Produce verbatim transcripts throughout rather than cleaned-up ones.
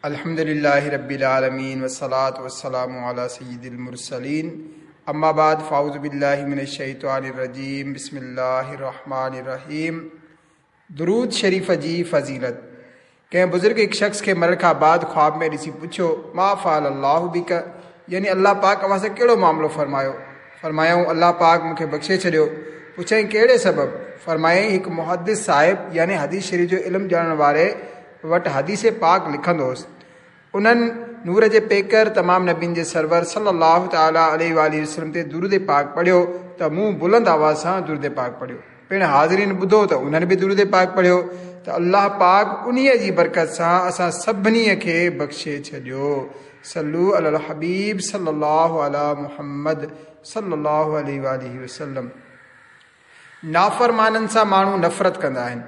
अल्हम्दुलिल्लाहि रब्बिल आलमीन वस्सलातु वस्सलामु अला सय्यिदिल मुरसलीन अम्मा बाद फ़ाऊज़ु बिल्लाहि मिनश शैतानिर रजीम बिस्मिल्लाहिर रहमानिर रहीम। दुरूद शरीफ़ जी फ़ज़ीलत। कंहिं बुज़ुर्ग हिकु शख़्स खे मरण खां बाद ख़्वाब में ॾिसी पुछियो, मा फ़अल अल्लाहु बिक, यानी अल्लाह पाक अव्हां सां कहिड़ो मामिलो फरमायो? फरमायऊं, अल्लाह पाक मूंखे बख़्शे छॾियो। पुछयईं, कहिड़े सबब? फरमायईं, हिकु मुहद्दिस साहिब यानी हदीस शरीफ़ जो इल्मु ॼाणण वारे वटि हदीस पाक लिखंदो हुउसि। उन्हनि नूर जे पेकर तमामु नबीनि जे सरवर सल्लल्लाहु तआला अलैहि वसल्लम ते दुरूद पाक पढ़ियो त मूं बुलंद आवाज़ सां दुरूद पाक पढ़ियो। पिणु हाज़रीन ॿुधो त उन्हनि बि दुरूद पाक पढ़ियो त अल्लाह पाक उन्हीअ जी बरकत सां असां सभिनी खे बख़्शे छॾियो। सल्लू अलल हबीब सल्लल्लाहु अला मुहम्मद सल्लल्लाहु अलैहि वसल्लम। नाफ़रमाननि सां माण्हू नफ़रत कंदा आहिनि।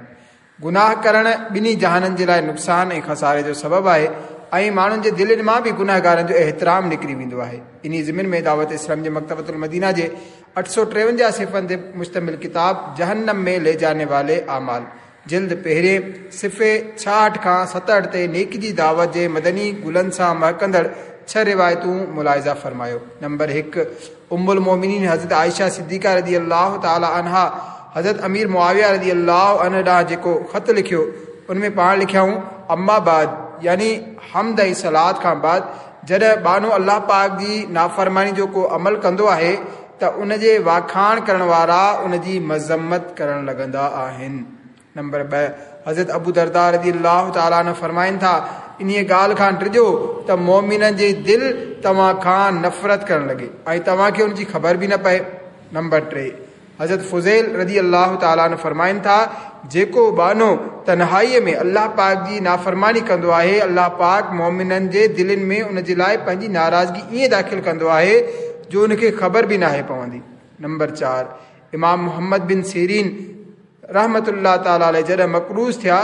गुनाह करण ॿिन्ही जहाननि जे लाइ नुक़सानु ऐं ख़सारे जो सबबु आहे ऐं माण्हुनि जे दिलनि मां बि गुनाहगारनि जो एतिराम निकिरी वेंदो आहे। इन ज़िमन में दावत इस्लाम जे मकतबतुल मदीना जे अठ सौ टेवंजाह सिफ़नि ते मुश्तमिल किताब जहन्नम में ले जाने वाले आमाल जिल्द पहिरें सिफ़े छाहठि खां सतहठि ते नेकी जी दावत जे मदनी गुलनि सां महकंदड़ छह रिवायतूं मुलाइज़ा फरमायो। नंबर हिकु, उम्मुल मोमिनीन हज़रत आयशा सिद्दीक़ा रज़ी अल्लाह तआला अन्हा हज़रत अमीर मुआविया रज़ी अल्लाह अन्हु ॾांहुं जेको ख़त लिखियो उन में पाण लिखियाऊं, अम्मा बाद यानी हमद ऐं सलात खां बाद जॾहिं बानो अल्लाह पाक जी नाफ़रमानी जो को अमल कंदो आहे त उन जे वाखाण करण वारा उन जी मज़म्मत करण लॻंदा आहिनि। नंबर ॿ, हज़रत अबू दरदा रज़ी अल्लाह तआला अन्हु फरमाइनि था, इन्हीअ ॻाल्हि खां डिॼो त मोमिननि जी दिलि तव्हां खां नफ़रत करण लॻे ऐं तव्हांखे उनजी ख़बर बि न पए। नंबर टे, हज़रत फुज़ैल रज़ी अल्लाह तआला अन्हु फरमाइनि था, जेको बानो तन्हाईअ में अल्लाह पाक जी नाफ़रमानी कंदो आहे, अल्लाह पाक मोमिननि जे दिलनि में उन जे लाइ पंहिंजी नाराज़गी ईअं दाख़िल कंदो आहे जो उनखे ख़बर बि नाहे पवंदी। नंबर चारि, इमाम मोहम्मद बिन सीरीन रहमतुल्लाह तआला अलैहि जॾहिं मकरूज़ थिया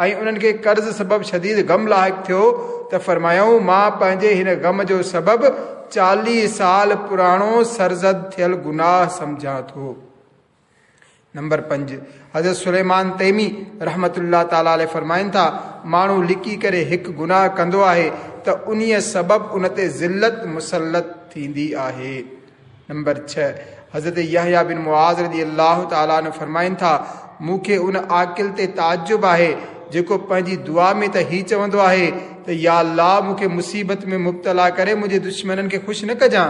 ऐं उन्हनि खे कर्ज़ सबबु शदीद ग़म लाहिक़ थियो त फरमायऊं, मां पंहिंजे हिन ग़म जो सबबु चालीह साल पुराणो सरज़द थियल गुनाह सम्झां थो। नंबर पंज, हज़रत सुलेमान तैमी रहमतुल्लाह तआला अलैहि फरमाइनि था, माण्हू लिकी करे हिकु गुनाह कंदो आहे त उन्हीअ सबबु उन ते ज़िल्लत मुसलत थींदी आहे। नंबर छह, हज़रत यहया बिन मुआज़ रज़ी अल्लाह तआला अन्हु फरमाइनि था, मूंखे उन आकिल ते ताज्जुब आहे जेको पंहिंजी दुआ में त ही चवंदो आहे त या अल्लाह मूंखे मुसीबत में मुब्तला करे मुंहिंजे दुश्मननि खे ख़ुशि न कजां,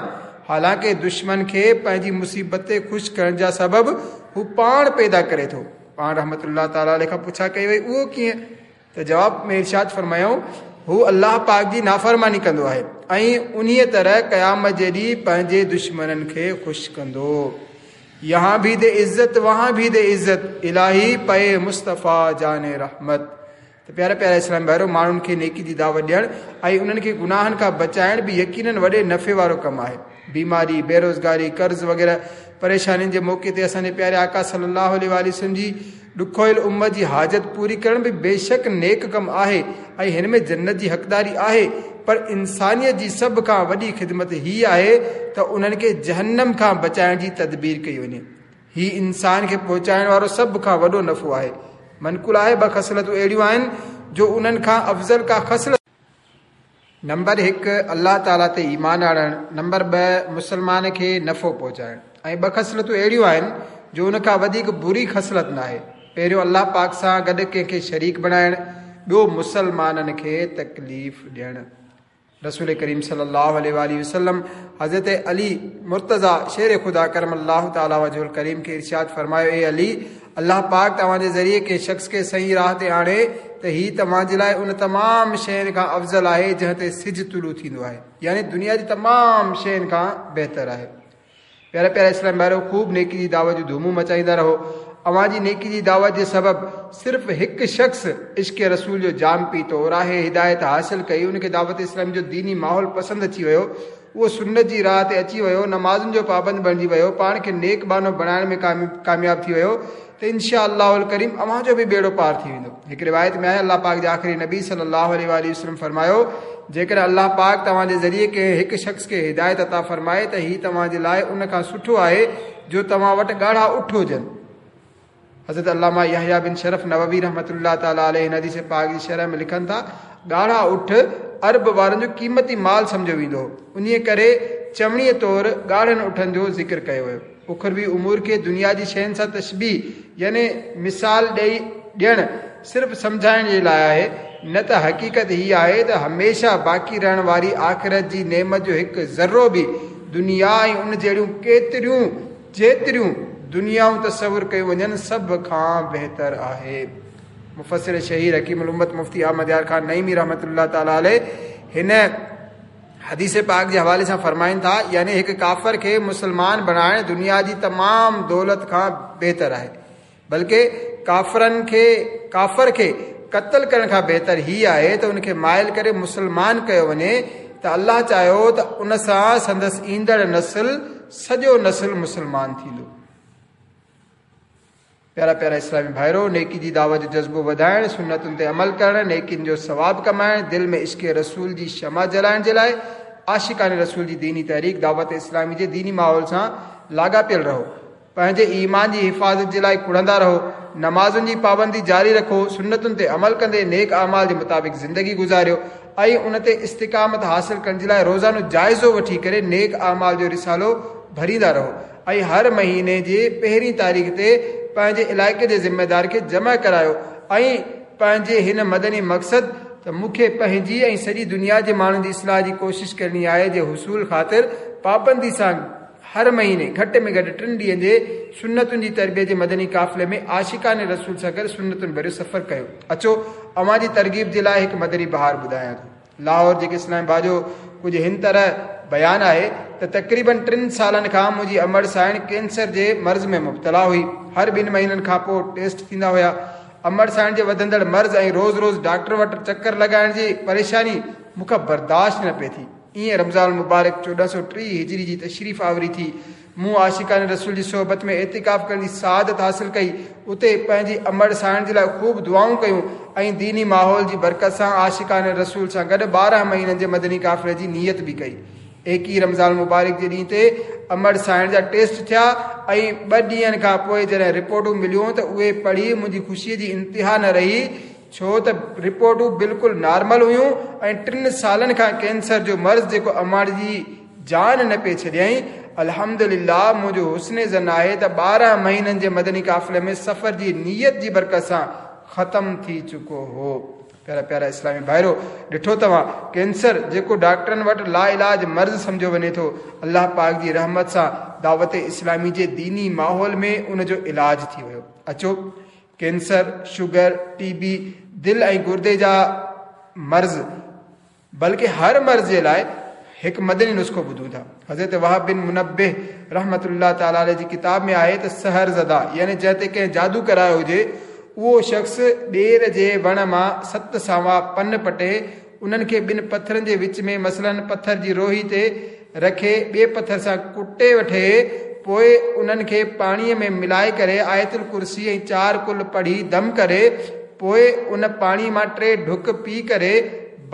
हालांकि दुश्मन खे पंहिंजी मुसीबत ते ख़ुशि करण जा सबब हू पाण पैदा करे थो। पाण रहमतुल्लाह तआला अलैहि खां पुछा कई वई, उहो कीअं? त जवाब में इरशाद फरमायऊं, हू अल्लाह पाक जी नाफ़रमानी कंदो आहे ऐं उन्हीअ तरह क़यामत जे ॾींहुं पंहिंजे दुश्मननि खे ख़ुशि कंदो। यहाँ भी दे इज़्ज़त वहाँ भी दे इज़्ज़त, इलाही पए मुस्तफ़ा जाने रहमत। त प्यारा प्यारा इस्लाम भाइरो, माण्हुनि खे नेकी जी दावत ॾियणु ऐं उन्हनि खे गुनाहनि खां बचाइणु बि यकीनन वॾे नफ़े वारो कमु आहे। बीमारी, बेरोज़गारी, कर्ज़ वग़ैरह परेशानियुनि जे मौक़े ते असांजे प्यारे आका सल्लल्लाहु अलैहि वसल्लम जी ॾुखोयल उम्मत जी हाजत पूरी करणु बि बेशक नेक कमु आहे ऐं हिन में जन्नत जी हक़दारी आहे, पर इंसानियत जी सभ खां वॾी ख़िदमत हीअ आहे त उन्हनि खे जहन्नम खां बचाइण जी तदबीर कई वञे। हीउ इंसान खे पहुचाइण वारो सभ खां वॾो नफ़ो आहे। मनकुल आहे ॿ ख़सलतूं अहिड़ियूं आहिनि जो उन्हनि खां अफ़ज़ल का ख़सलत। नंबर हिकु, अल्लाह ताला ते ईमान आणणु। नंबर ॿ, मुसलमान खे नफ़ो पहुचाइणु। ऐं ॿ ख़सलतूं अहिड़ियूं आहिनि जो उन खां वधीक बुरी ख़सलत न आहे। पहिरियों अल्लाह पाक सां गॾु कंहिंखे शरीक बणाइणु, ॿियो मुसलमाननि खे तकलीफ़ ॾियणु। रसूल करीम सल्लल्लाहु अलैहि वसल्लम हज़रत अली मुर्तज़ा शेर ख़ुदा करम अल्लाह तआला वजहुल करीम खे इरशाद फरमायो, ए अली, अल्लाह पाक तव्हांजे ज़रिए कंहिं शख़्स खे सही राह ते आणे त हीउ तव्हांजे लाइ उन तमामु शयुनि खां अफ़ज़ल आहे जंहिं ते सिज तुलू थींदो आहे, यानी दुनिया जी तमामु शयुनि खां बहितर आहे। प्यारा प्यारा इस्लाम भाइरो, ख़ूब नेकी जी दावत जूं धूमूं मचाईंदा रहो। अव्हां जी नेकी जी दावत जे सबब सिर्फ़ु हिकु शख़्स इश्क रसूल जो जाम पीतो, राह हिदायत हासिल कई, उनखे दावत इस्लाम जो दीनी माहौल पसंदि अची वियो, उहो सुन्नत जी राह ते अची वियो, नमाज़ुनि जो पाबंद बणिजी वियो, पाण खे नेक बानो बणाइण में कामयाब थी वियो त इंशा अल्लाह करीम अव्हां जो बि ॿेड़ो पार थी वेंदो। हिकु रिवायत में आहे, अल्लाह पाक जे आख़िरी नबी सल्लल्लाहु अलैहि वसल्लम फरमायो, जेकॾहिं अल्लाह पाक तव्हांजे ज़रिए कंहिं हिकु शख़्स खे हिदायत अता फरमाए त हीउ तव्हांजे लाइ उन खां सुठो आहे जो तव्हां वटि ॻाढ़ा उठ हुजनि। हज़रत अल्लामा यहया बिन शरफ नववी रहमतुल्लाह तआला अलैहि हदीस पाक जी शरह में लिखनि था, ॻाढ़ा उठ عرب وارن جو قيمتي مال سمجهيو ويندو هو. انهيء ڪري چوڻيء طور ڳاڙهن اٺن جو ذڪر ڪيو ويو. اخروي امور کي دنيا جي شين سان تشبيهه يعني مثال ڏئي ڏيڻ صرف سمجهائڻ جي لاء آهي، نه ته حقيقت هي آهي ته هميشه باقي رهڻ واري آخرت جي نعمت جو هڪ ذرو به دنيا ۽ ان جهڙيون ڪيتريون جيتريون دنيائون تصور ڪيون وڃن سڀ کان بهتر آهي. مفسر شهير حڪيم الامت مفتي احمد يار خان نعيمي رحمة الله تعالٰي عليه هن حديث پاڪ جي حوالي سان فرمائن ٿا، يعني هڪ ڪافر کي مسلمان بڻائڻ دنيا جي تمام دولت کان بهتر آهي، بلڪه ڪافرن کي ڪافر کي قتل ڪرڻ کان بهتر هي آهي ته ان کي مائل ڪري مسلمان ڪيو وڃي ته الله چاهيو ته ان سان سندس ايندڙ نسل سڄو نسل مسلمان ٿيندو. پيارا پيارا اسلامي ڀائرو، نيڪي جي دعوت جو جذبو وڌائڻ، سنتن تي عمل ڪرڻ، نيڪين جو ثواب ڪمائڻ، دل ۾ عشق رسول جي شمع جلائڻ جي لاء عاشقان رسول جي ديني تحريڪ دعوت اسلامي جي ديني ماحول سان لاڳاپيل رهو، پنهنجي ايمان جي حفاظت جي لاء ڪڙهندا رهو، نمازن جي پابندي جاري رکو، سنتن تي عمل ڪندي نيڪ اعمال جي مطابق زندگي گذاريو ۽ ان تي استقامت حاصل ڪرڻ جي لاء روزانو جائزو وٺي ڪري نيڪ اعمال جو رسالو ڀريندا رهو ۽ هر مهيني جي پهرين تاريخ تي پنهنجي علائقي جي ذميدار کي جمع ڪرايو ۽ پنهنجي هن مدني مقصد ته مون کي پنهنجي ۽ سڄي دنيا جي ماڻهن جي اصلاح جي ڪوشش ڪرڻي آهي جي حصول خاطر پابندي سان هر مهيني گهٽ ۾ گهٽ ٽن ڏينهن جي سنتن جي تربيت جي مدني قافلي ۾ عاشقان رسول سان گڏ سنتن ڀريو سفر ڪيو. اچو اوهان جي ترغيب جي لاء هڪ مدني بهار ٻڌايان ٿو. لاهور جيڪي اسلام ڀاء جو ڪجهه هن طرح بيان آهي ته تقريبن ٽن سالن کان منهنجي امڙ سائڻ ڪينسر جي مرض ۾ مبتلا هئي. هر ٻن مهينن کان پوء ٽيسٽ ٿيندا هيا. امڙ سائڻ جي وڌندڙ مرض ۽ روز روز ڊاڪٽر وٽ چڪر لڳائڻ جي پريشاني مون کان برداشت نه پئي ٿي. ائين رمضان المبارڪ چوڏهن سؤ ٽيهه هجري جي تشريف آوري ٿي. مون عاشقان رسول جي صحبت ۾ اعتڪاف ڪرڻ جي سعادت حاصل ڪئي. اتي پنهنجي امڙ سائڻ جي لاء خوب دعائون ڪيون ۽ ديني ماحول جي برڪت سان عاشقان رسول سان گڏ ٻارهن مهينن جي مدني قافلي جي نيت به ڪئي. ايڪيهه رمضان المبارڪ جي ڏينهن تي امڙ سائڻ جا ٽيسٽ ٿيا ۽ ٻه ڏينهن کان پوء جڏهن رپورٽون مليون ته اهي پڙهي منهنجي خوشيء جي انتها نه رهي، ڇو ته رپورٽون بلڪل نارمل هيون ۽ ٽن سالن کان ڪينسر جو مرض جيڪو امڙ جي جان نه پئي ڇڏيائين. الحمدلله منهنجو حسن ظن آهي ته ٻارهن مهينن جي مدني قافلي ۾ سفر جي نيت جي برڪت سان ختم ٿي چڪو هو. پيارا پيارا اسلامي ڀائرو، ڏٺو توهان ڪينسر جيڪو ڊاڪٽرن وٽ لا علاج مرض سمجهيو وڃي ٿو، الله پاڪ جي رحمت سان دعوت اسلامي جي ديني ماحول ۾ ان جو علاج ٿي ويو. اچو ڪينسر، شگر، ٽي بي، دل ۽ گردي جا مرض بلڪه هر مرض جي لاء هڪ مدني نسخو ٻڌون ٿا. حضرت وهب بن منبه رحمة الله تعالٰي عليه جي ڪتاب ۾ آهي ته سحر زده يعني جنهن تي ڪنهن جادو ڪرايو هجي اهو شخص ٻير جي وڻ مان ست ساوا پن پٽي انهن کي ٻن پٿرن جي وچ ۾ مثلاً پٿر جي روهي تي رکي ٻئي پٿر سان ڪٽي وٺي، پوء انهن کي پاڻيء ۾ ملائي ڪري آيت الڪرسي ۽ چار قل پڙهي دم ڪري، پوء ان پاڻي مان ٽي ڍڪ پي ڪري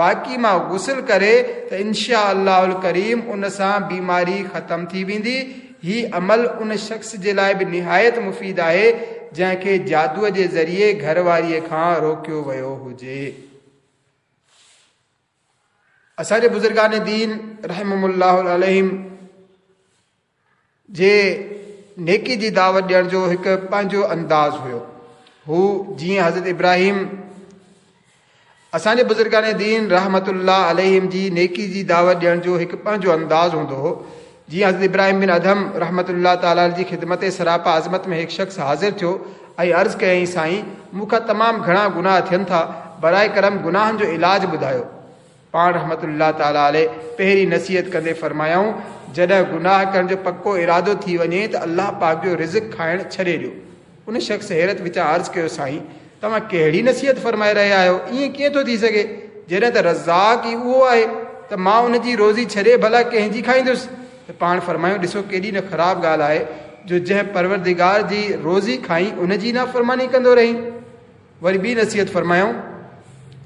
باقي مان غسل ڪري ته انشاء الله الڪريم ان سان بيماري ختم ٿي ويندي. هي عمل ان شخص جي لاء به نهايت مفيد آهي جنهن کي جادوء جي ذريعي گهر واريء کان روڪيو ويو هجي. اسان جي بزرگان دين رحمهم الله عليهم جي نيڪي جي دعوت ڏيڻ جو هڪ پنهنجو انداز هيو. هو جيئن حضرت ابراهيم اسان جي بزرگان دين رحمت الله عليهم جي نيڪي جي دعوت ڏيڻ جو هڪ پنهنجو انداز هوندو هو. جيئن حضرت ابراهيم بن ادهم رحمت الله تعالٰي جي خدمت سراپا عظمت ۾ هڪ شخص حاضر ٿيو ۽ عرض ڪيائين، سائين مون کان تمام گهڻا گناهه ٿين ٿا، برائي ڪرم گناهن جو علاج ٻڌايو. پاڻ رحمت الله تعالٰي عليه پهرين نصيحت ڪندي فرمايائون، جڏهن گناهه ڪرڻ جو پڪو ارادو ٿي وڃي ته الله پاڪ جو رزق کائڻ ڇڏي ڏيو. ان شخص حيرت وچان عرض ڪيو، سائين توهان ڪهڙي نصيحت فرمائي رهيا آهيو، ائين ڪيئن ٿو ٿي سگهي؟ جڏهن ته رزاق ئي اهو آهي ته مان ان جي روزي ڇڏي ڀلا ڪنهن جي کائيندس؟ ته پاڻ فرمايون، ڏسو ڪيڏي نه خراب ڳالهه آهي جو جنهن پروردگار جي روزي کائين ان جي نافرماني ڪندو رهين. وري ٻي نصيحت فرمايائون،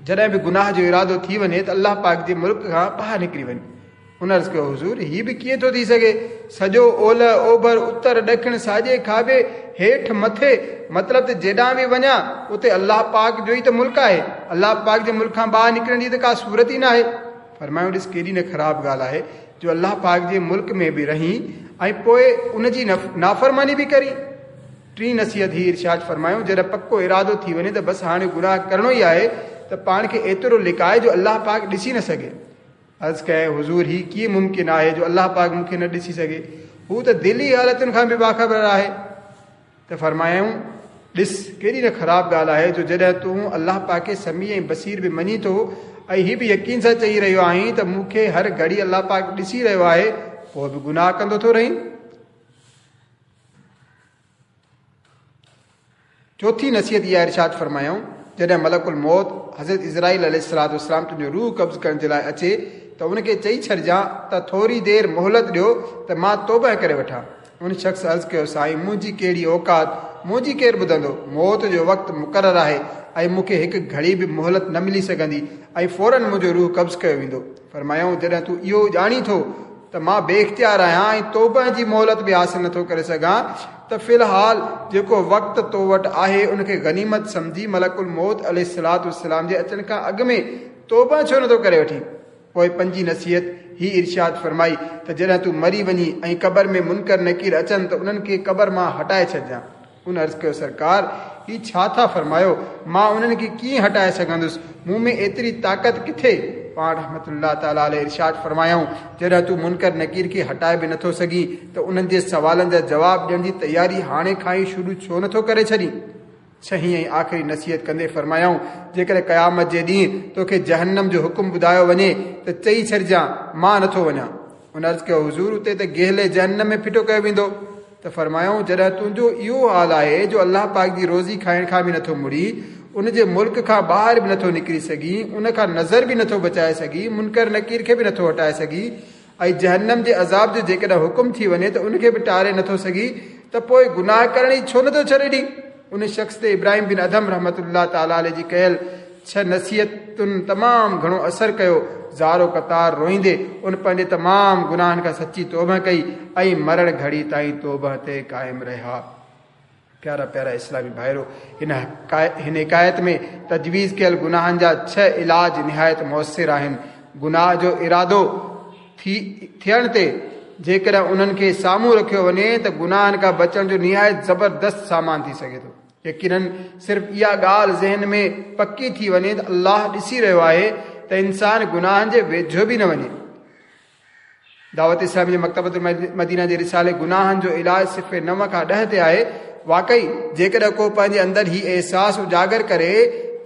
جڏهن به گناهه جو ارادو ٿي وڃي ته الله پاڪ جي ملڪ کان ٻاهر نڪري وڃ. ان عرض ڪيو، حضور هي به ڪيئن ٿو ٿي سگهي؟ سڄو اولهه اوڀر اتر ڏکڻ ساڄي کاٻي هيٺ مٿي، مطلب ته جيڏانهن به وڃان اتي الله پاڪ جو ئي ته ملڪ آهي، الله پاڪ جي ملڪ کان ٻاهر نڪرڻ جي ته ڪا صورت ئي ناهي. فرمايو ڏس ڪيڏي نه خراب ڳالهه آهي جو الله پاڪ جي ملڪ ۾ به رهين ۽ پوءِ ان جي نافرماني به ڪرين. ٽين نصيحت هي ارشاد فرمايو جڏهن پڪو ارادو ٿي وڃي ته بس هاڻي گناهه ڪرڻو ئي آهي ته پاڻ کي ايترو لڪائي جو الله پاڪ ڏسي نه سگهي. عرض ڪيائين حضور هي ڪيئن ممڪن آهي جو الله پاڪ مون کي نه ڏسي سگهي، هو ته دلي حالتن کان به باخبر آهي. ته فرمايائون ڏس ڪيڏي نه خراب ڳالهه آهي جو جڏهن تون الله پاڪ کي سميع ۽ بصير به مڃين ٿو ۽ هي به يقين سان چئي رهيو آهين ته مون کي هر گهڙي الله پاڪ ڏسي رهيو آهي، پوءِ به گناهه ڪندو ٿو رهين. چوٿين نصيحت اها ارشاد فرمايائون جڏهن ملڪ الموت حضرت اسرائيل عليه السلام تنهنجو روح قبض ڪرڻ جي لاءِ اچي ته ان کي چئي ڇڏجان ته ٿوري دير مهلت ڏيو ته مان توبه ڪري وٺان. ان شخص عرض ڪيو سائين منهنجي ڪهڙي اوقات، منهنجي ڪير ٻڌندو، موت جو وقت مقرر آهي ۽ مون کي هڪ گهڙي به مهلت نه ملي سگهندي ۽ فورن منهنجو روح قبض ڪيو ويندو. فرمايائون جڏهن تون اهو ڄاڻي ٿو ته مان بي اختيار آهيان ۽ توبه جي مهلت به حاصل نٿو ڪري سگهان ته في الحال جيڪو وقت تو وٽ آهي ان کي غنيمت سمجهي ملڪ الموت عليه السلام جي اچڻ کان اڳ ۾ توبه ڇو نٿو ڪري وٺين. پوءِ پنجين نصيحت هي ارشاد فرمائي ته جڏهن تون مري وڃي ۽ قبر ۾ منڪر نڪير اچن ته انهن کي قبر مان هٽائي ڇڏجان. ان عرض ڪيو سرڪار هي ڇا ٿا فرمايو، مان انهن کي ڪيئن هٽائي سگهندس، مون ۾ ايتري طاقت ڪٿي؟ پاڻ رحمت الله تعاليٰ عليه ارشاد فرمايائون جڏهن تون منڪر نڪير کي هٽائي به نٿو سگهين ته انهن جي سوالن جا جواب ڏيڻ جي تياري هاڻي کان ئي شروع ڇو نٿو ڪري ڇڏين. ڇهين ۽ آخري نصيحت ڪندي فرمايائون جيڪڏهن قيامت جي ڏينهن توکي جهنم جو حڪم ٻڌايو وڃي ته چئي ڇڏجان مان نٿو وڃان. ان عرض ڪيو حضور اتي ته گهلي جهنم ۾ ڦٽو ڪيو ويندو. ته فرمايائون جڏهن تنهنجو اهو حال آهي جو الله پاڪ جي روزي کائڻ کان به نٿو مڙي، ان جي ملڪ کان ٻاهر به نٿو نڪري سگهين، ان کان نظر به نٿو بچائي سگهين، منڪر نڪير کي به نٿو هٽائي سگهين ۽ جهنم جي عذاب جو جيڪڏهن حڪم ٿي وڃي ته ان کي به ٽاري نٿو سگهين ته پوءِ گناهه ڪرڻ ئي ڇو نٿو ڇڏي ڏئي. ان شخص تي ابراهيم بن ادهم رحمت الله تعاليٰ عليه جي ڪيل ڇهه نصيحتن تمام گهڻو اثر ڪيو. زارو قطار روئيندي ان پنهنجي تمام گناهن کان سچي توبه ڪئي ۽ مرڻ گهڙي تائين توبه تي قائم رهيا. پيارا پيارا اسلامي ڀائرو، هن هن حڪايت ۾ تجويز ڪيل گناهن جا ڇهه علاج نهايت مؤثر آهن. گناهه جو ارادو ٿي ٿيڻ تي جيڪڏهن انهن کي سامهون رکيو وڃي ته گناهن کان بچڻ جو نهايت زبردست سامان ٿي سگهي ٿو. يقينن صرف اها ڳالهه ذهن ۾ پڪي ٿي وڃي ته الله ڏسي رهيو آهي ته انسان گناهن جي ويجهو به نه وڃي. دعوت اسلامي جي مڪتبة المدينه جي رسالي گناهن جو علاج صفحي نو کان ڏهه تي آهي. واقعي جيڪڏهن ڪو پنهنجي اندر هي احساس اجاگر ڪري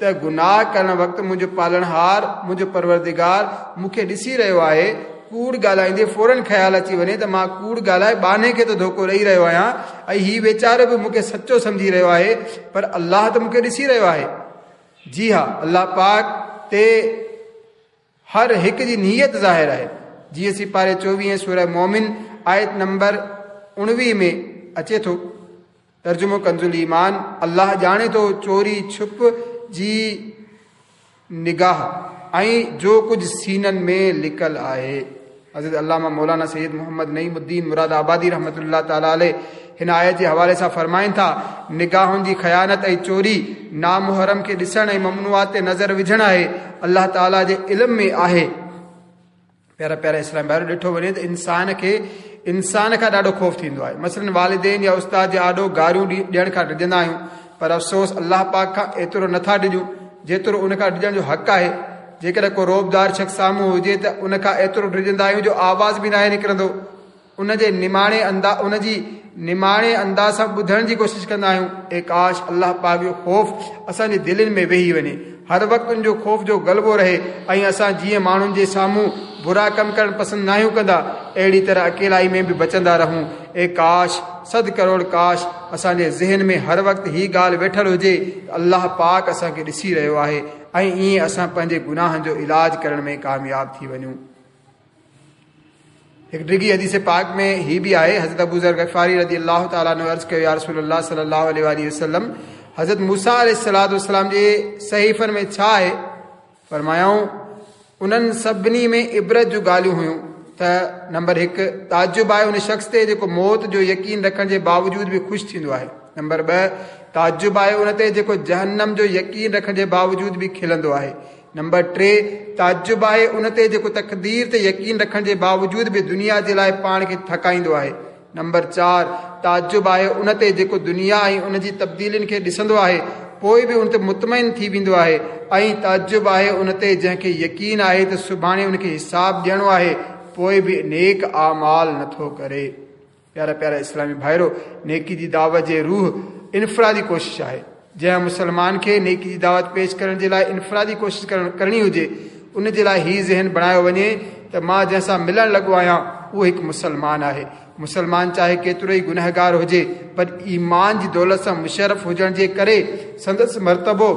ته گناهه ڪرڻ وقت منهنجو پالڻهار منهنجو پروردگار مون کي ڏسي رهيو آهي، ڪوڙ ڳالهائيندي فورن خيال اچي وڃي ته مان ڪوڙ ڳالهائي ٻانهي کي ته ڌوڪو ڏيئي رهيو آهيان ۽ هي ويچارو به مون کي سچو سمجهي رهيو آهي، پر الله ته مون کي ڏسي رهيو آهي. جي ها، الله پاڪ تي هر هڪ جي نيت ظاهر آهي. جيئن سپاري چوويهه سورة مومن آيت نمبر اڻويهه ۾ اچي ٿو. ترجمو ڪنزل ايمان، الله ڄاڻي ٿو چوري ڇپ جي نگاهه ۽ جو ڪجهه سينن ۾ لڪل آهي. حضرت علامه مولانا سيد محمد نعيم الدين مراد آبادي رحمت الله تعاليٰ عليه هن آيت جي حوالي سان فرمائن ٿا، نگاهن جي خيانت ۽ چوري نامحرم کي ڏسڻ ۽ ممنوعات تي نظر وجهڻ آهي، الله تعاليٰ جي علم ۾ آهي. پيارا پيارا اسلام ڀائرو، ڏٺو وڃي ته انسان کي انسان کان ڏاڍو خوف ٿيندو آهي. مثلاً والدين يا استاد جي آڏو گاريون ڏيڻ کان ڊڄندا آهيون، پر افسوس الله پاڪ کان ايترو نٿا ڊڄون جيترو ان کان ڊڄڻ جو حق آهي. جيڪڏهن ڪو روبدار شخص سامهون هجي ته ان کان ايترو ڊڄندا آهيون جو آواز به ناهي نڪرندو. ان جي نماڻي اندا ان جي نماڻي انداز سان ٻڌڻ جي ڪوشش ڪندا آهيون. اي ڪاش الله پاڪ جو خوف اسان جي دلين ۾ ويهي وڃي، هر وقت ان جو خوف جو غلبو رهي ۽ اسان جيئن ماڻهن جي سامهون برا ڪم ڪرڻ پسند ناهيون ڪندا، اهڙي طرح اڪيلائي ۾ به بچندا رهون. اي ڪاش، صد ڪروڙ ڪاش اسان جي ذهن ۾ هر وقت هي ڳالهه ويٺل هجي ته الله پاڪ اسان کي ڏسي رهيو آهي ۽ ائين اسان پنهنجي گناهن جو علاج ڪرڻ ۾ ڪامياب ٿي وڃون. هڪ ڊگهي حديث پاڪ ۾ هي به آهي، حضرت ابو ذر غفاري رضي الله تعاليٰ عنه عرض ڪيو، يا رسول الله صلي الله عليه وآله وسلم، حضرت موسيٰ عليه السلام جي صحيفن ۾ ڇا آهي؟ فرمايائون، انهن سڀني ۾ عبرت جون ڳالهيون هيون. ته نمبر هڪ، تعجب آهي ان شخص تي جيڪو موت جو يقين رکڻ جي باوجود به خوش ٿيندو آهي. نمبر ٻه، تعجب آهي ان تي جيڪو جهنم جو يقين رکڻ جي باوجود به کلندو آهي. نمبر ٽي، تعجب آهي ان تي جيڪو تقدير تي يقين رکڻ جي باوجود به دنيا جي لاءِ پاڻ کي ٿڪائيندو آهي. نمبر چار، تعجب آهي ان تي جيڪو دنيا ۽ ان جي تبديلين کي ڏسندو آهي پوءِ به ان تي مطمئن ٿي ويندو آهي. ۽ تعجب آهي ان تي جنهن کي يقين آهي ته سڀاڻي ان کي حساب ڏيڻو آهي پوءِ به نيڪ اعمال نٿو ڪري. پيارا پيارا اسلامي ڀائرو، نيڪي جي دعوت جي روح انفرادي ڪوشش آهي. جنهن مسلمان کي نيڪي جي دعوت پيش ڪرڻ جي لاءِ انفرادي ڪوشش ڪرڻ ڪرڻي هجي ان جي لاءِ هي ذهن بڻايو وڃي ته مان جنهن سان ملڻ لڳو آهيان اهو هڪ مسلمان آهي. مسلمان چاهي ڪيترو ئي گنهگار هجي پر ايمان جي دولت سان مشرف هجڻ جي ڪري سندس مرتبو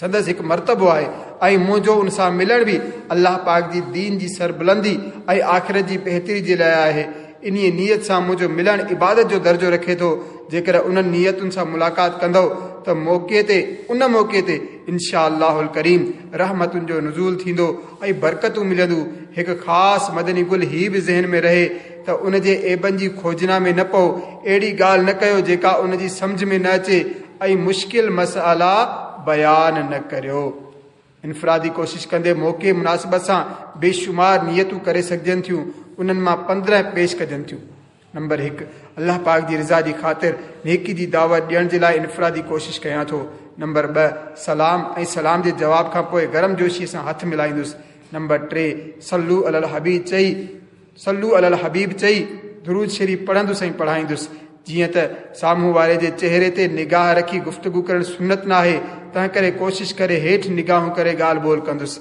سندس هڪ مرتبو آهي ۽ منهنجو ان سان ملڻ به الله پاڪ جي دين جي سربلندي ۽ آخرت جي بهتري جي لاءِ آهي. ان نيت سان منهنجو ملڻ عبادت جو درجو رکي ٿو. جيڪر انهن نيتن سان ملاقات ڪندؤ ته موقعي تي ان موقعي تي انشا الله الڪريم رحمتن جو نزول ٿيندو ۽ برڪتون ملنديون. هڪ خاص مدني گل هي به ذهن ۾ رهي ته ان جي عيبن جي کوجنا ۾ نه پئو، اهڙي ڳالهه نه ڪيو جيڪا ان جي سمجهه ۾ نه اچي ۽ مشڪل مسئلا بيان نه ڪريو. انفرادي ڪوشش ڪندي موقعي مناسبت سان بيشمار نيتون ڪري سگهجن ٿيون. انهن مان پندرهن پيش ڪجن ٿيون. نمبر هڪ، الله پاڪ جي رضا جي خاطر نيڪي جي دعوت ڏيڻ جي لاءِ انفرادي ڪوشش ڪيان ٿو. نمبر ٻه، سلام ۽ سلام جي جواب کان پوءِ گرم جوشيءَ سان هٿ ملائيندس. نمبر ٽي، صلو عل الحبيب چئي صلو عل الحبيب چئي درود شريف پڙهندس ۽ پڙهائيندس. جيئن ته سامهون واري جي چهري تي نگاهه رکي گفتگو ڪرڻ سنت نه آهي، تنهن ڪري ڪوشش ڪري هيٺ نگاهون ڪري ڳالهه ٻولهه ڪندس.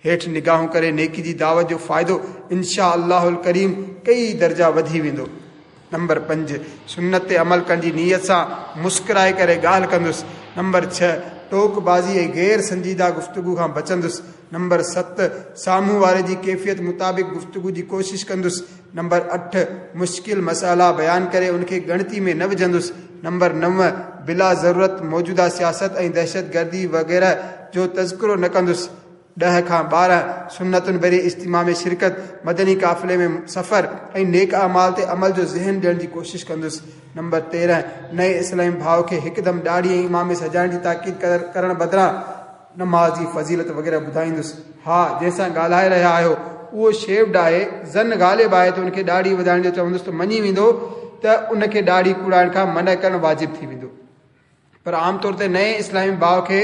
هيٺ نگاهون ڪري نيڪي جي دعوت جو فائدو انشا الله الڪريم ڪئي درجا وڌي ويندو. نمبر پنج، سنت تي عمل ڪرڻ جي نيت سان مسڪرائي ڪري ڳالهه ڪندس. نمبر ڇهه، ٽوڪ بازي ۽ غير سنجيده گفتگو کان بچندس. نمبر ست، سامهون واري جي ڪيفيت مطابق گفتگو جي ڪوشش ڪندس. نمبر اٺ، مشڪل مسئلا بيان ڪري ان کي ڳڻتي ۾ نه وجهندس. نمبر نو، بلا ضرورت موجوده سياست ۽ دهشتگردي وغيره جو تذڪرو نه ڪندس. ڏهه کان ٻارهن، سنتن ڀري اجتماع ۾ شرڪت، مدني قافلي ۾ سفر ۽ نيڪ اعمال تي عمل جو ذهن ڏيڻ جي ڪوشش ڪندس. نمبر تيرهن، نئين اسلامي ڀاءُ کي هڪدم ڏاڙهي ۽ امامي سجائڻ جي تاڪيد ڪرڻ بدران نماز جي فضيلت وغيره ٻڌائيندس. ها، جنهن سان ڳالهائي رهيا آهيو اهو شيوڊ آهي، زن غالب آهي ته ان کي ڏاڙهي وڌائڻ جو چوندس ته مڃي ويندو ته ان کي ڏاڙهي ڪوڙائڻ کان منع ڪرڻ واجب ٿي ويندو. پر عام طور تي نئين اسلامي ڀاءُ کي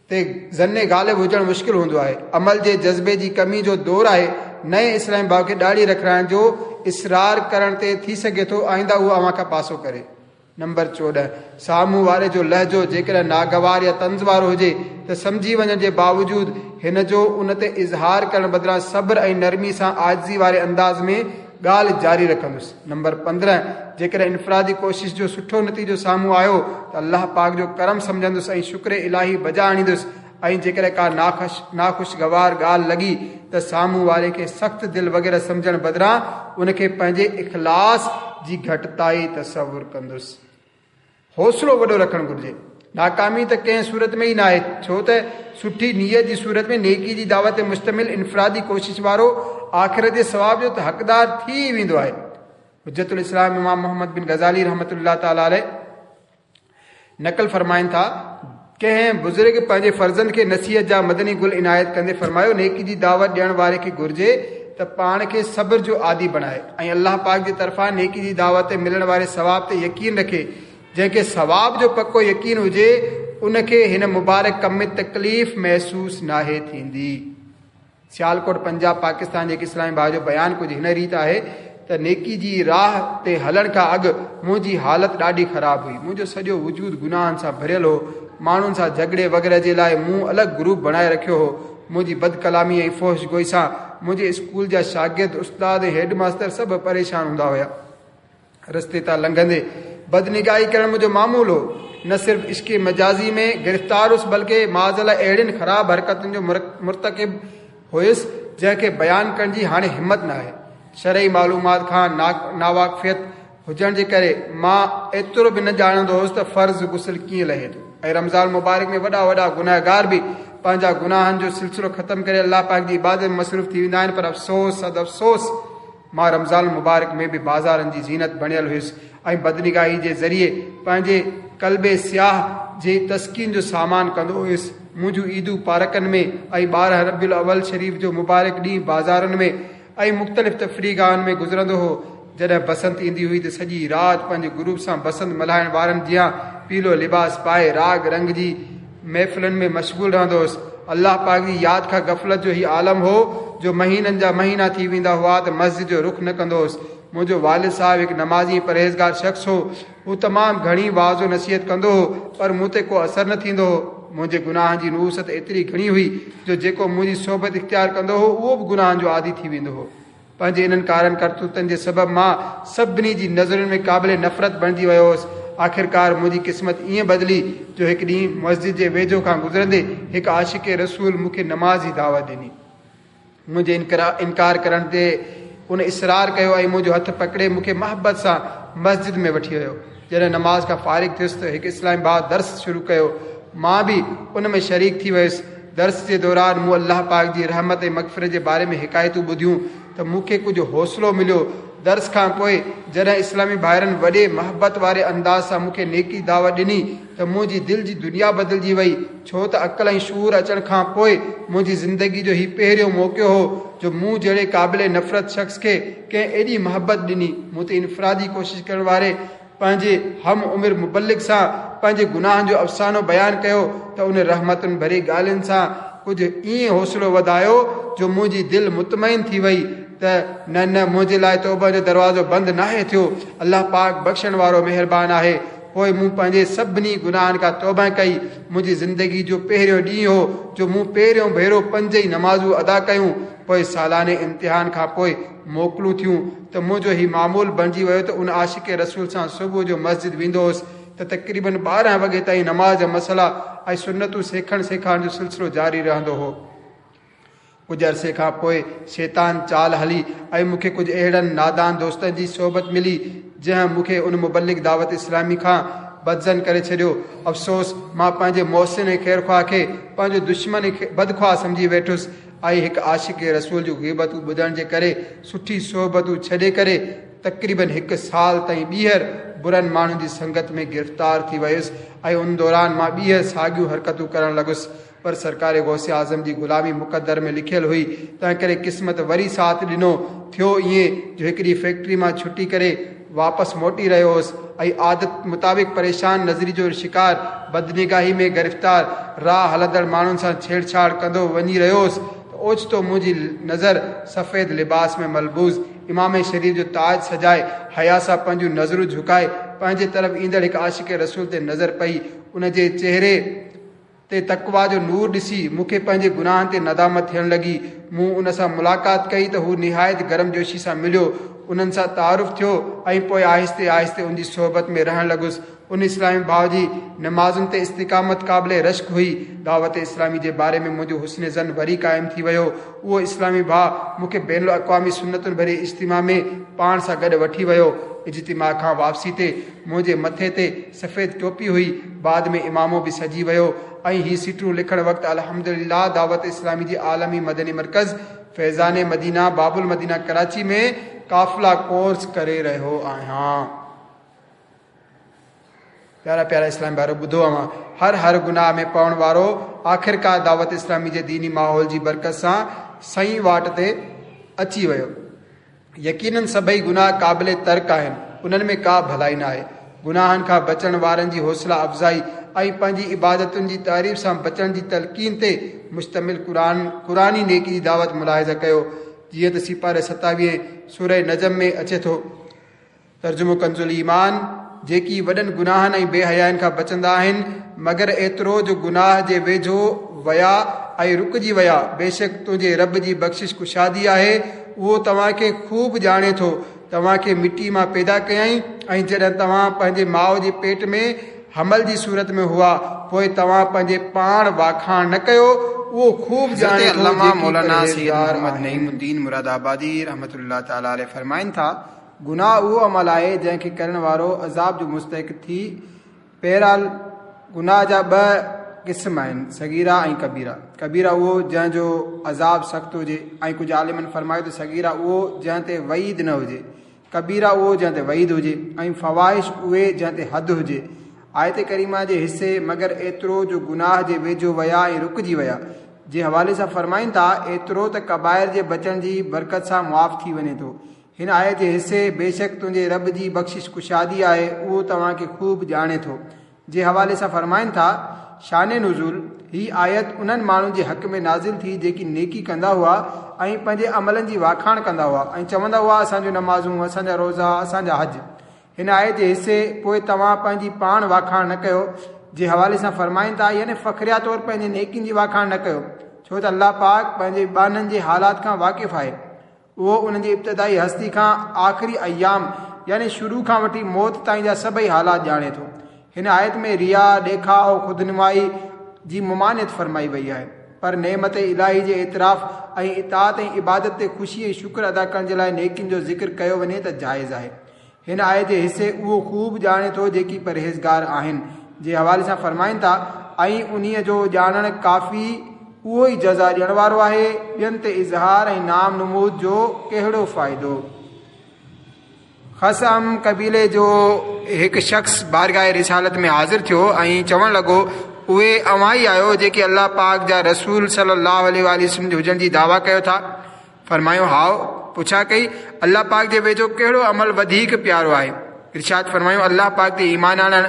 تي زن غالب هجڻ مشڪل هوندو آهي. عمل جي جذبي جي ڪمي جو دور آهي. نئين اسلامي ڀاءُ کي ڏاڙهي رکائڻ جو اصرار ڪرڻ تي ٿي سگهي ٿو آئنده اهو اوهان کان پاسو ڪري. نمبر چوڏهن، سامهون واري جو لهجو جيڪڏهن ناگوار يا طنز وارو هجي ته سمجهي وڃڻ جي باوجود هن جو ان تي اظهار ڪرڻ بدران صبر ۽ نرمي سان عاجزي واري انداز ۾ ڳالهه جاري رکندس. نمبر پندرهن، جيڪڏهن انفرادي ڪوشش جو سٺو نتيجو سامهون آيو ته الله پاڪ جو ڪرم سمجهندس ۽ شڪر الاهي بجا آڻيندس. ۽ جيڪڏهن ڪا ناخوش ناخوشگوار ڳالهه لڳي ته سامهون واري کي سخت دل وغيره سمجهڻ بدران ان کي پنهنجي اخلاص جي گهٽتائي تصور ڪندس. حوصلو وڏو رکڻ گهرجي. ناڪامي ته ڪنهن صورت ۾ ئي نه آهي، ڇو ته سٺي نيت جي صورت ۾ نيڪي جي دعوت تي مشتمل انفرادي ڪوشش وارو آخرت جي ثواب جو ته حقدار ٿي ويندو آهي. حجت الاسلام امام محمد بن غزالي رحمت الله تعاليٰ عليه نقل فرمائن ٿا، ڪنهن بزرگ پنهنجي فرزند کي نصيحت جا مدني گل عنايت ڪندي فرمايو، نيڪي جي دعوت ڏيڻ واري کي گهرجي ته پاڻ کي صبر جو عادي بڻائي ۽ الله پاڪ جي طرفان نيڪي جي دعوت تي ملڻ واري ثواب تي يقين رکي. جنهن کي ثواب جو پڪو يقين هجي ان کي هن مبارڪ ڪم ۾ تڪليف محسوس ناهي ٿيندي. سيالڪوٽ پنجاب پاڪستان جي هڪ اسلامي ڀاءُ جو بيان ڪجهه هن ريت آهي ته نيڪي جي راهه تي هلڻ کان اڳ منهنجي حالت ڏاڍي خراب هئي. منهنجو سڄو وجود گناهن سان ڀريل هو. ماڻهن سان جهڳڙي وغيره جي لاءِ مون الڳ گروپ بڻائي رکيو هو. منهنجي بدڪلامي ۽ فحش گوئي سان منهنجي اسڪول جا شاگرد، استاد ۽ هيڊ ماستر سڀ پريشان هوندا هئا. رستي تان لنگهندي بدنگاهي ڪرڻ منهنجو معمول هو. نه صرف عشق مجازي ۾ گرفتار هئس بلڪه معاذ الله اهڙين خراب حرڪتن جو مرتڪب هئس جنهن کي بيان ڪرڻ جي هاڻي همت نه آهي. شرعي معلومات کان ناواقفيت هجڻ جي ڪري مان ايترو به نه ڄاڻندو هئس ته فرض غسل ڪيئن لهي ٿو. ۽ رمضان مبارڪ ۾ وڏا وڏا گنهگار به پنهنجا گناهن جو سلسلو ختم ڪري الله پاڪ جي عبادت ۾ مصروف ٿي ويندا آهن، پر افسوس صد افسوس مان رمضان مبارڪ ۾ به بازارن جي زينت بڻيل هئس ۽ بدنگاهي جي ذريعي پنهنجي قلب سياهه جي تسڪين جو سامان ڪندو هئس. منهنجون عيدون پارڪن ۾ ۽ ٻارهن ربيع الاول شريف جو مبارڪ ڏينهن بازارن ۾ ۽ مختلف تفريحگاهن ۾ گذرندو هو. جڏهن بسنت ايندي هئي ته سڄي رات پنهنجي گروپ سان بسنت ملهائڻ وارن جيان پيلو لباس پائي راڳ رنگ جي محفلن ۾ مشغول رهندو هوس. الله پاڪ جي ياد کان غفلت جو هي عالم هو جو مهينن جا مهينا ٿي ويندا هئا ته مسجد جو رخ نه ڪندو هوس. منهنجو والد صاحب هڪ نمازي پرهيزگار شخص هو. هو تمام گهڻي واعظ و نصيحت ڪندو هو، پر مون تي ڪو اثر نه ٿيندو هو. منهنجي گناهن جي نحوست ايتري گهڻي هئي جو جيڪو منهنجي صحبت اختيار ڪندو هو اهو به گناهن جو عادي ٿي ويندو هو. پنهنجي انهن ڪارن ڪرتوتن جي سبب مان سڀني جي نظرن ۾ قابل نفرت بڻجي ويو هوس. آخرڪار منهنجي قسمت ائين بدلي جو هڪ ڏينهن مسجد جي ويجهو کان گذرندي هڪ عاشق رسول مون کي نماز جي دعوت ڏني. منهنجي انڪار ڪرڻ تي ان اصرار ڪيو ۽ منهنجو هٿ پڪڙي مون کي محبت سان مسجد ۾ وٺي ويو. جڏهن نماز کان فارغ ٿيس ته هڪ اسلامي ڀاء درس شروع ڪيو، مان به ان ۾ شريڪ ٿي ويس. درس جي دوران مون الله پاڪ جي رحمت ۽ مغفرت جي باري ۾ حڪايتون ٻڌيون ته مون کي ڪجهه حوصلو مليو. درس کان پوءِ جڏهن اسلامي ڀائرن وڏي محبت واري انداز سان مون کي نيڪي دعوت ڏني ته منهنجي دل جي دنيا بدلجي وئي، ڇو ته عقل ۽ شعور اچڻ کان پوءِ منهنجي زندگي جو هي پهريون موقعو هو جو مون جهڙي قابل نفرت شخص کي ڪنهن ايڏي محبت ڏني. مون تي انفرادي ڪوشش ڪرڻ واري پنهنجي هم عمر مبلغ سان پنهنجي گناهن جو افسانو بيان ڪيو ته ان رحمتن ڀري ڳالهين سان ڪجهه ائين حوصلو وڌايو جو منهنجي دل مطمئن ٿي وئي ته نه نه منهنجي لاءِ توبه جو دروازو بند ناهي ٿيو، الله پاڪ بخشڻ وارو مهربان آهي. پوءِ مون پنهنجي سڀني گناهن کان توبه ڪئي. منهنجي زندگي جو پهريون ڏينهن هو جو مون پهريون ڀيرو پنج ئي نمازون ادا ڪيون. پوءِ سالاني امتحان کان پوءِ موڪلون ٿيون ته منهنجو هي معمول بڻجي ويو ته ان عاشق رسول سان صبح جو مسجد ويندو هوس ته تقريبن ٻارهن وڳي تائين نماز جا مسئلا ۽ سنتون سيکڻ سيکارڻ جو سلسلو جاري رهندو هو. ڪجهه عرصي کان پوءِ شيطان چال هلي ۽ مون کي ڪجهه اهڙن نادان دوستن جي صحبت ملي جنهن مون کي ان مبلغ دعوت اسلامي کان بدظن ڪري ڇڏيو. افسوس، مان پنهنجي محسن ۽ خيرخواهه کي پنهنجو دشمن ۽ بدخواهه سمجهي ويٺس ۽ هڪ عاشق رسول جون غيبتون ٻڌڻ جي ڪري سٺي صحبتون ڇڏي ڪري تقريبن هڪ سال تائين ٻيهر برن ماڻهن جي سنگت ۾ گرفتار ٿي ويس ۽ ان دوران مان ٻيهر ساڳيون حرڪتون ڪرڻ لڳس. پر سرڪار غوث اعظم جي غلامي مقدر ۾ لکيل هئي، تنهن ڪري قسمت وري ساٿ ڏنو. ٿيو ائين جو هڪڙي فيڪٽري مان ڇٽي ڪري واپس موٽي رهيو هوس ۽ عادت مطابق پريشان نظري جو شڪار بدنگاهي ۾ گرفتار راهه هلندڙ ماڻهن سان ڇيڙڇاڙ ڪندو وڃي رهيو هوس ته اوچتو منهنجي نظر سفيد لباس ۾ ملبوس امام شريف جو تاج سجائي حيا سان پنهنجون نظرون جهڪائي پنهنجي طرف ايندڙ هڪ عاشق رسول تي نظر پئي. ان جي چهري تي تقويٰ جو نور ڏسي مون کي پنهنجي گناهن تي ندامت ٿيڻ لڳي. مون ان سان ملاقات ڪئي ته هو نهايت گرمجوشي سان مليو، انهن سان تعارف ٿيو ۽ پوءِ آهستي آهستي ان جي صحبت ۾ رهڻ لڳس. ان اسلامي ڀاءُ جي نمازن تي استقامت قابل رشڪ هئي. دعوت اسلامي جي باري ۾ منهنجو حسن ظن وري قائم ٿي ويو. اهو اسلامي ڀاءُ مون کي بين الاقوامي سنتن ڀري اجتماع ۾ پاڻ سان گڏ وٺي ويو. اجتماع کان واپسي تي منهنجي مٿي تي سفيد ٽوپي هئي، بعد ۾ امامو به سجي ويو ۽ هي سٽون لکڻ وقت الحمدلله دعوت اسلامي جي عالمي مدني مرڪز فيضان مدينه باب المدينه ڪراچي ۾ قافلا ڪورس ڪري رهيو آهيان. پيارا پيارا اسلام ڀائرو، ٻڌو اوهان، هر هر گناهه ۾ پوڻ وارو آخرڪار دعوت اسلامي جي ديني ماحول جي برڪت سان صحيح واٽ تي اچي ويو. يقينن سڀئي گناهه قابل ترڪ آهن، انهن ۾ ڪا ڀلائي نه آهي. گناهن کان بچڻ وارن جي حوصله افزائي ۽ پنهنجي عبادتن جي تعريف سان بچڻ جي تلقين تي مشتمل قرآن قرآني نيڪي جي دعوت ملاحظه ڪيو. جيئن ته سيپاري ستاويهه سورة نجم ۾ اچي ٿو. ترجمو ڪنز الايمان: جيڪي وڏن گناهن ۽ بي حيائن کان بچندا آهن، مگر ايترو جو گناهه جي ويجهو ويا ۽ رڪجي ويا، بيشڪ تنهنجي رب جي بخشش ڪشادي آهي، اهو توهان کي خوب ڄاڻي ٿو. توهان کي مٽي مان پيدا ڪيائين ۽ جڏهن توهان پنهنجي ماءُ جي پيٽ ۾ حمل جي صورت ۾ هئا، پوءِ توهان پنهنجي پاڻ واکاڻ نه ڪيو، اهو خوب ڄاڻي ٿو. علامه مولانا سيد محمد نعيم الدين مراد آبادي رحمة الله تعالٰي عليه فرمائن ٿا، گناهه اهو عمل آهي جنهن کي ڪرڻ وارو عذاب جو مستحق ٿي. بهرحال گناهه جا ٻه قسم آهن، صغيره ۽ ڪبيره. ڪبيره اهو جنهن جو عذاب سخت هجي، ۽ ڪجهه عالمن فرمايو ته صغيره اهو جنهن تي وعيد نه هجي، ڪبيره اهو جنهن تي وعيد هجي، ۽ فواحش اهي جنهن تي حد هجي. آيت ڪريمه جي حصي مگر ايترو جو گناهه جي ويجهو ويا ۽ رڪجي ويا جي حوالي سان فرمائن ٿا، ايترو ته ڪبائر جي بچڻ جي برڪت سان معاف ٿي وڃي ٿو. هن آيت جي حصي بيشڪ تنهنجي رب جي بخشش ڪشادي آهي، اهو توهان کي خوب ڄاڻي ٿو جي حوالي سان فرمائن ٿا، شان نزول، هي آيت انهن ماڻهن جي حق ۾ نازل ٿي جيڪي نيڪي ڪندا هئا ۽ پنهنجي عملن جي واکاڻ ڪندا هئا ۽ چوندا هئا اسان جون نمازون، اسان جا روزا، اسان جا حج. هن آيت جي حصي پوءِ توهان پنهنجي پاڻ واکاڻ نه ڪيو جي حوالي سان فرمائن ٿا، يعني فخريه طور پنهنجي نيڪين جي واکاڻ نه ڪيو، ڇو ته الله پاڪ پنهنجي ٻانهن جي حالات کان واقف آهي. اهو انهن جي ابتدائي هستي کان آخري ايام يعني شروع کان وٺي موت تائين جا سڀئي حالات ڄاڻي ٿو. هن آيت ۾ ريا، ڏيکاءُ، خودنمائي جي ممانعت فرمائي وئي آهي، پر نعمت الاهي جي اعتراف ۽ اطاعت ۽ عبادت تي خوشي ۽ شڪر ادا ڪرڻ جي لاءِ نيڪين جو ذڪر ڪيو وڃي ته جائز آهي. هن آيت جي حصي اهو خوب ڄاڻي ٿو جيڪي پرهيزگار آهن جي حوالي سان فرمائن ٿا، ۽ انهيءَ جو ڄاڻڻ ڪافي، اهو ئي جزا ڏيڻ وارو آهي، ٻين تي اظهار ۽ نام نمود جو ڪهڙو فائدو. خثعم قبيلي جو هڪ شخص بارگاهه رسالت ۾ حاضر ٿيو ۽ چوڻ لڳو، اهي اوهان ئي آهيو جيڪي الله پاڪ جا رسول صلي الله عليه وآله وسلم جي هجڻ جي دعويٰ ڪيو ٿا؟ فرمايو، هائو. پڇا ڪئي، الله پاڪ جي ويجهو ڪهڙو عمل وڌيڪ پيارو آهي؟ ارشاد فرمايو، الله پاڪ تي ايمان آڻڻ.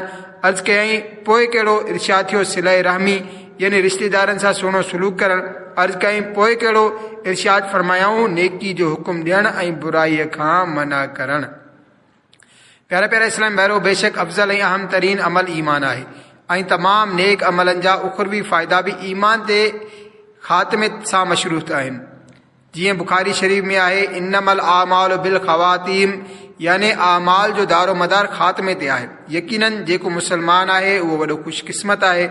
عرض ڪيائين، پوءِ ڪهڙو؟ ارشاد ٿيو، صله رحمي يعني رشتيدارن سان سهڻو سلوڪ ڪرڻ. عرض ڪيائين، پوءِ ڪهڙو؟ ارشاد فرمايائون، نيڪي جو حڪم ڏيڻ ۽ برائيءَ کان منع ڪرڻ. پيارا پيارا اسلام ڀائرو، بيشڪ افضل ۽ اهم ترين عمل ايمان آهي ۽ تمام نيڪ عملن جا اخروي فائدا به ايمان تي خاتمي سان مشروط آهن. جيئن بخاري شريف ۾ آهي، انما الاعمال بالخواتيم، يعني اعمال جو دارو مدار خاتمي تي آهي. يقينن جيڪو مسلمان آهي اهو وڏو خوش قسمت آهي.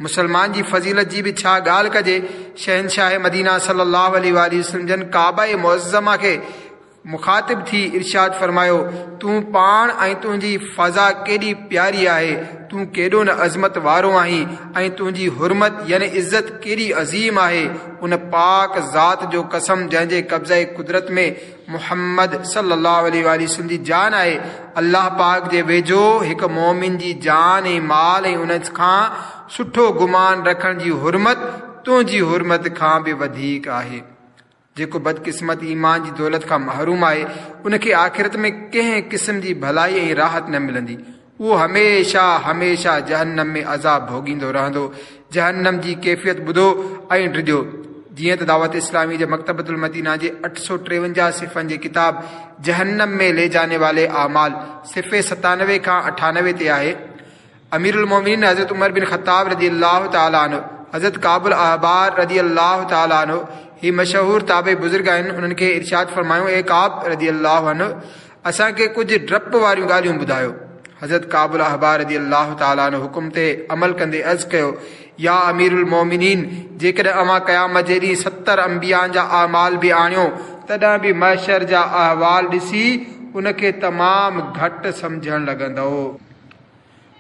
مسلمان جي فضيلت جي به ڇا ڳالهه ڪجي. شهنشاهه مدينه صلي الله عليه وآله وسلم جن ڪعبه معظمه کي مخاطب ٿي ارشاد فرمايو، تون پاڻ ۽ تنهنجي فضا ڪيڏي پياري آهي، تون ڪيڏو نه عظمت وارو آهين ۽ تنهنجي حرمت يعني عزت ڪيڏي عظيم آهي. ان پاڪ ذات جو قسم جنهن جي قبضه قدرت ۾ محمد صلي الله عليه وآله وسلم جي جان آهي، الله پاڪ جي ويجهو هڪ مومن جي جان ۽ مال ۽ ان کان سٺو گمان رکڻ جي حرمت تنهنجي حرمت کان به وڌيڪ آهي. جيڪو بدقسمت ايمان جي دولت کان محروم آهي ان کي آخرت ۾ ڪنهن قسم جي ڀلائي ۽ راحت نه ملندي. اهو هميشه هميشه جهنم ۾ عذاب ڀوڳيندو رهندو. جهنم جي ڪيفيت ٻڌو ۽ ڊڄو. جيئن ته دعوت اسلامي جي مڪتبة المدينه جي اٺ سؤ ٽيونجاهه صفحن جي ڪتاب جهنم ۾ لي جاني والي اعمال صفحي ستانوي کان اٺانوي تي آهي. امير المومنين حضرت عمر بن خطاب رضي الله تعالٰي عنه، حضرت ڪعب الاحبار رضي الله تعالٰي عنه، هي مشهور تابعي بزرگ آهن، انهن کي ارشاد فرمايو، اي ڪعب رضي الله عنه، اسان کي ڪجهه ڊپ واريون ڳالهيون ٻڌايو. حضرت ڪعب الاحبار رضي الله تعالٰي عنه حڪم تي عمل ڪندي عرض ڪيو، يا امير المومنين، جيڪڏهن اوهان قيامت جي ڏينهن ستر انبيائن جا اعمال به آڻيو تڏهن به محشر جا احوال ڏسي ان کي تمام گهٽ سمجهڻ لڳندؤ.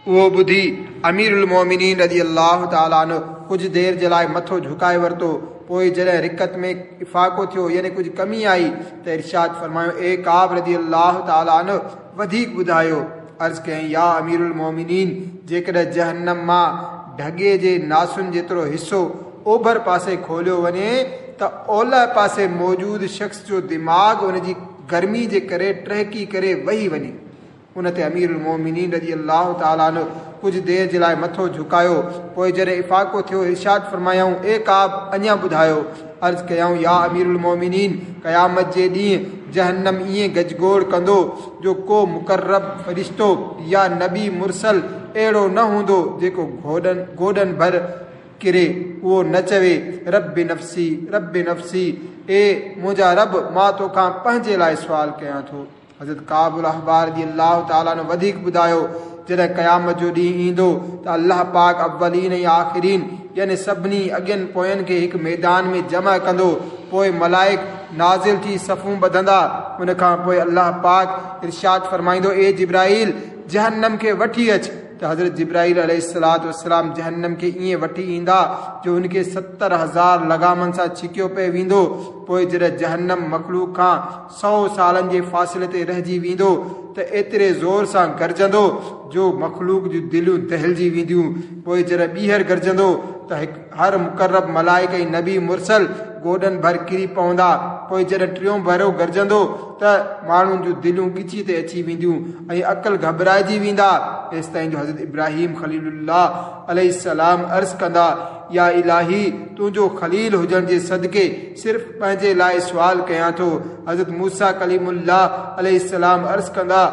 اهو ٻڌي امير المومنين رضي الله تعالٰي عنه ڪجهه دير جي لاءِ مٿو جهڪائي ورتو. پوءِ جڏهن رڪت ۾ افاقو ٿيو يعني ڪجهه ڪمي آئي ته ارشاد فرمايو، اي ڪعب رضي الله تعالٰي عنه، وڌيڪ ٻڌايو. عرض ڪيائين، يا امير المومنين، جيڪڏهن جهنم مان ڍڳي جي ناسن جيترو حصو اوڀر پاسي کوليو وڃي ته اولهه پاسي موجود شخص جو دماغ ان جي گرمي جي ڪري ٽهڪي ڪري وهي وڃي. ان تي امير المومنين رضي الله تعالٰي عنه ڪجهه دير جي لاءِ مٿو جهڪايو. پوءِ جڏهن افاقو ٿيو ارشاد فرمايائون، اي ڪعب، اڃا ٻڌايو. عرض ڪيائون، يا امير المومنين، قيامت جي ڏينهن جهنم ائين گجگوڙ ڪندو جو ڪو مقرب فرشتو يا نبي مرسل اهڙو نه هوندو جيڪو گوڏن گوڏن ڀر ڪري اهو نه چوي، رب نفسي رب نفسي، اي منهنجا رب، مان توکان پنهنجي لاءِ سوال ڪيان ٿو. حضرت ڪعب الاحبار رضي الله تعالٰي عنه وڌيڪ ٻڌايو، جڏهن قيامت جو ڏينهن ايندو ته الله پاڪ اولين ۽ آخرين يعني سڀني اڳين پوين کي هڪ ميدان ۾ جمع ڪندو. پوءِ ملائڪ نازل ٿي صفون ٻڌندا. ان کان پوءِ الله پاڪ ارشاد فرمائيندو، اي جبرائيل، جهنم کي وٺي اچ. ته حضرت جبرائيل عليه الصلوة والسلام جهنم کي ائين وٺي ايندا جو هن کي ستر هزار لگامن سان ڇڪيو پئي ويندو. پوءِ جڏهن جهنم مخلوق کان سؤ سالن جي فاصلي تي رهجي ويندو ته ايتري زور سان گرجندو جو مخلوق جون دليون دهلجي وينديون. پوءِ جڏهن ٻيهر گرجندو ته هر مقرب ملائڪ ۽ نبي مرسل گوڏن ڀر ڪري پوندا. پوءِ جڏهن ٽيون ڀيرو گرجندو ته ماڻهن جون دليون ڳچي تي اچي وينديون ۽ عقل گهٻرائجي ويندا. ايستائين جو حضرت ابراهيم خليل الله عليه السلام عرض ڪندا، يا الاهي، تنهنجو خليل هجڻ جي صدقي صرف پنهنجي لاءِ سوال ڪيان ٿو. حضرت موسيٰ ڪليم الله عليه السلام عرض ڪندا،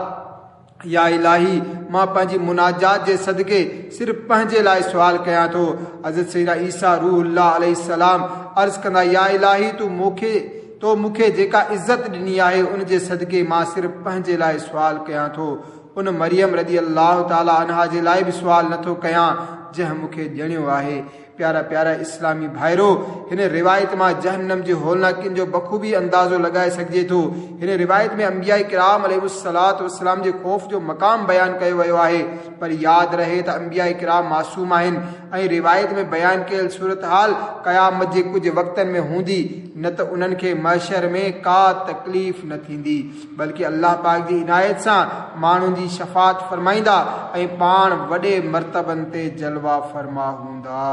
يا الاهي، مان پنهنجي مناجات جي صدقي صرف پنهنجي لاءِ سوال ڪيان ٿو. حضرت سيدنا عيسيٰ روح الله عليه السلام عرض ڪندا، يا الاهي، تون مون کي تو مون کي جيڪا عزت ڏني آهي ان جي صدقي مان صرف پنهنجي لاءِ سوال ڪيان ٿو. ان مريم رضي الله تعاليٰ عنها جي لاءِ به سوال نٿو ڪيان جنهن مون کي ڄڻيو آهي. پيارا پيارا اسلامي ڀائرو، هن روايت مان جهنم جي هولناڪين جو بخوبي اندازو لڳائي سگهجي ٿو. هن روايت ۾ انبيا ڪرام عليه الصلوة والسلام جي خوف جو مقام بيان ڪيو ويو آهي، پر ياد رهي ته انبيا ڪرام معصوم آهن ۽ روايت ۾ بيان ڪيل صورت حال قيامت جي ڪجهه وقتن ۾ هوندي، نه ته انهن کي محشر ۾ ڪا تڪليف نه ٿيندي، بلڪه الله پاڪ جي عنايت سان ماڻهن جي شفاعت فرمائيندا ۽ پاڻ وڏي مرتبن تي جلوا فرما هوندا.